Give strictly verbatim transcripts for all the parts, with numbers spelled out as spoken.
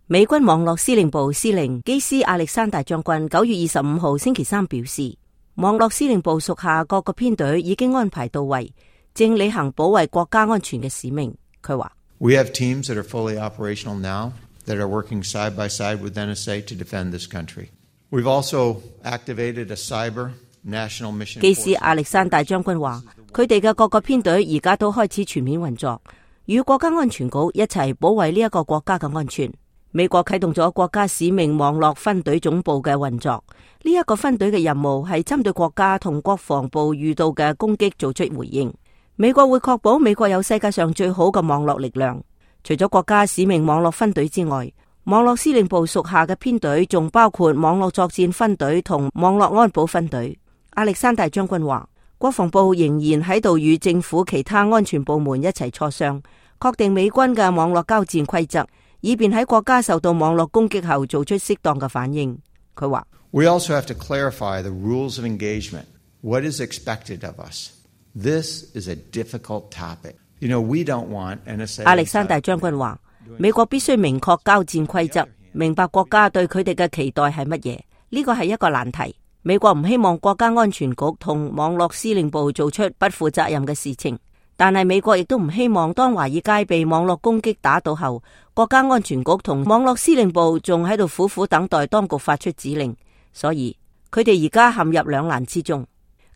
美軍網絡司令部司令基斯亞歷山大將軍九月二十五號星期三表示，網絡司令部屬下各個編隊已經安排到位，正履行保衛國家安全嘅使命。佢話 We have teams that are fully operational now that are working side by side with N S A to defend this country. We've also activated a cyber national mission. 基斯亞歷山大將軍話，佢哋嘅各個編隊而家都開始全面運作，與國家安全局一齊保衛呢一個國家嘅安全。美國啟動咗國家使命網絡分隊總部嘅運作，呢、這、一個分隊嘅任務係針對國家同國防部遇到嘅攻擊做出回應。美國會確保美國有世界上最好嘅網絡力量。除咗國家使命網絡分隊之外，網絡司令部屬下嘅編隊仲包括網絡作戰分隊同網絡安保分隊。亞歷山大將軍話，國防部仍然喺度與政府其他安全部門一齊磋商，確定美軍嘅網絡交戰規則，以便喺國家受到網絡攻擊後做出適當嘅反應。佢話 We also have to clarify the rules of engagement. What is expected of us? This is a difficult topic. You know, we don't want N S A. 亞歷山大將軍話，美國必須明確交戰規則，明白國家對佢哋嘅期待係乜嘢。呢個係一個難題。美國唔希望國家安全局同網絡司令部做出不負責任嘅事情。但係美國亦都唔希望當華爾街被網絡攻擊打倒後，國家安全局同網絡司令部仲喺度苦苦等待當局發出指令，所以佢哋而家陷入兩難之中。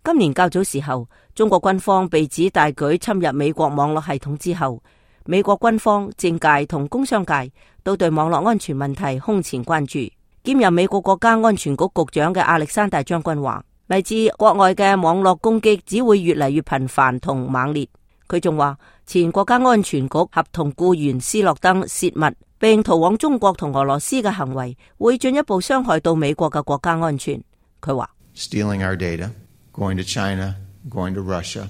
今年較早時候，中國軍方被指大舉侵入美國網絡系統之後，美國軍方、政界同工商界都對網絡安全問題空前關注。兼任美國國家安全局局長嘅亞歷山大將軍話，嚟自國外嘅網絡攻擊只會越嚟越頻繁同猛烈。佢仲話，前國家安全局合同僱員斯諾登泄密並逃往中國同俄羅斯嘅行為，會進一步傷害到美國嘅國家安全。佢話 Stealing our data, going to China, going to Russia,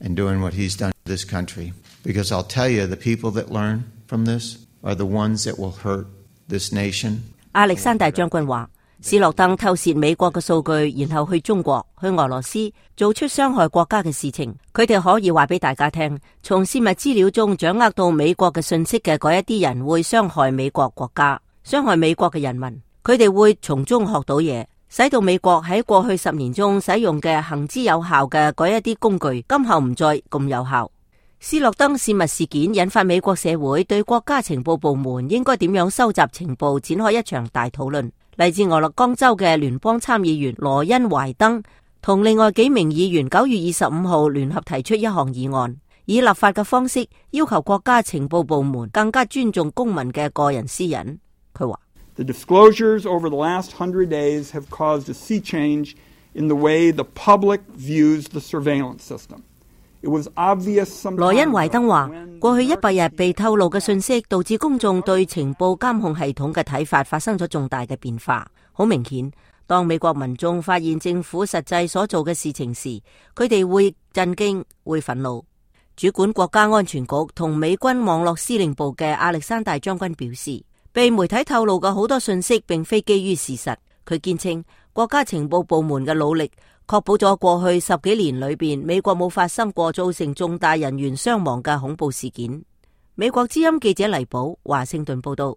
and doing what he's done to this country. Because I'll tell you, the people that learn from this are the ones that will hurt this nation. 亞歷山大將軍話，斯諾登偷竊美國嘅數據，然後去中國、去俄羅斯做出傷害國家嘅事情。佢哋可以話俾大家聽，從泄密資料中掌握到美國嘅信息嘅嗰一啲人會傷害美國國家，傷害美國嘅人民。佢哋會從中學到嘢，使到美國喺過去十年中使用嘅行之有效嘅嗰一啲工具，今後唔再咁有效。斯諾登泄密事件引發美國社會對國家情報部門應該點樣收集情報展開一場大討論。嚟自俄勒岡州嘅聯邦參議員羅恩懷登同另外幾名議員九月二十五號聯合提出一項議案，以立法嘅方式要求國家情報部門更加尊重公民嘅個人私隱。佢話 The disclosures over the last hundred days have caused a sea change in the way the public views the surveillance system. 羅恩懷登話，過去一百日被透露嘅信息導致公眾對情報監控系統嘅睇法發生咗重大嘅變化。好明顯，當美國民眾發現政府實際所做嘅事情時，佢哋會震驚、會憤怒。主管國家安全局同美軍網絡司令部嘅亞歷山大將軍表示，被媒體透露嘅好多信息並非基於事實。佢堅稱，國家情報部門嘅努力確保咗過去十幾年裏邊，美國冇發生過造成重大人員傷亡嘅恐怖事件。美國之音記者黎寶，華盛頓報道。